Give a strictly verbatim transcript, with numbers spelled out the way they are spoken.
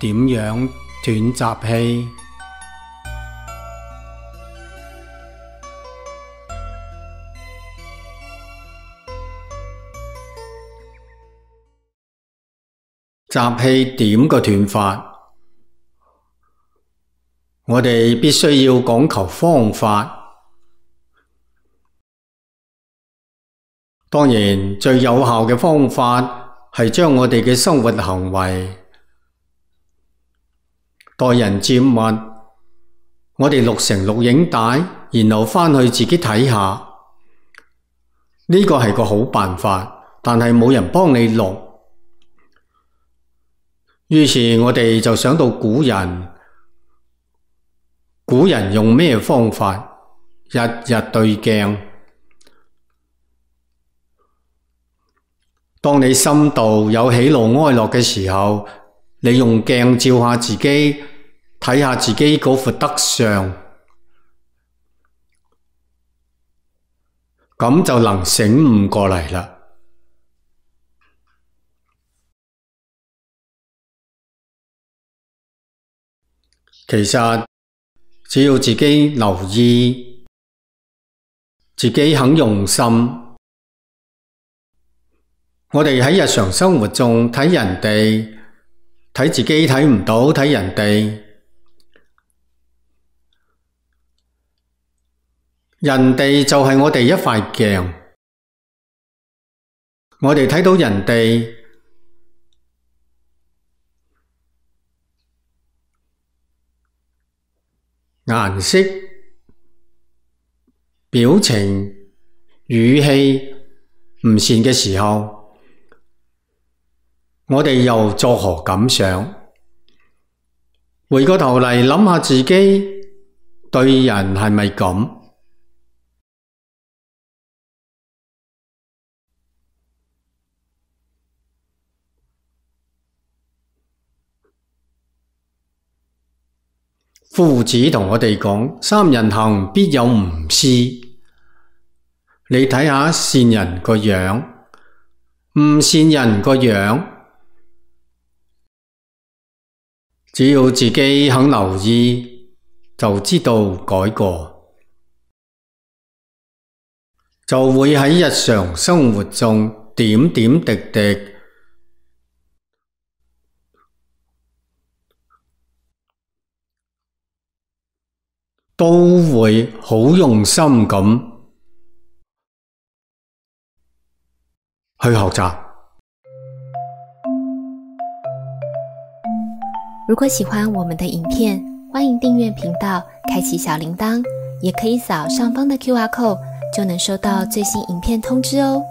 點樣斷習氣？習氣點個斷法？我哋必須要講求方法。當然，最有效嘅方法係將我哋嘅生活行為、待人接物，我哋錄成錄影帶，然後返去自己睇下。呢個係個好辦法，但係冇人幫你錄。於是我哋就想到古人，古人用咩方法？日日對鏡。當你心度有喜怒哀樂嘅時候，你用鏡照下自己，睇下自己嗰副德相，咁就能醒悟過嚟啦。其實只要自己留意，自己肯用心，我哋喺日常生活中睇人哋，睇自己睇唔到，睇人哋，人哋就係我哋一塊鏡，我哋睇到人哋顏色、表情、語氣唔善嘅時候，我哋又作何感想？回過頭嚟諗下自己對人係咪咁？夫子同我哋講，三人行必有吾師。你睇下善人個樣，唔善人個樣，只要自己肯留意，就知道改過，就會喺日常生活中點點滴滴都會好用心咁去學習。如果喜歡我們的影片，歡迎訂閱頻道，開啟小鈴鐺，也可以掃上方的 Q R code，就能收到最新影片通知哦。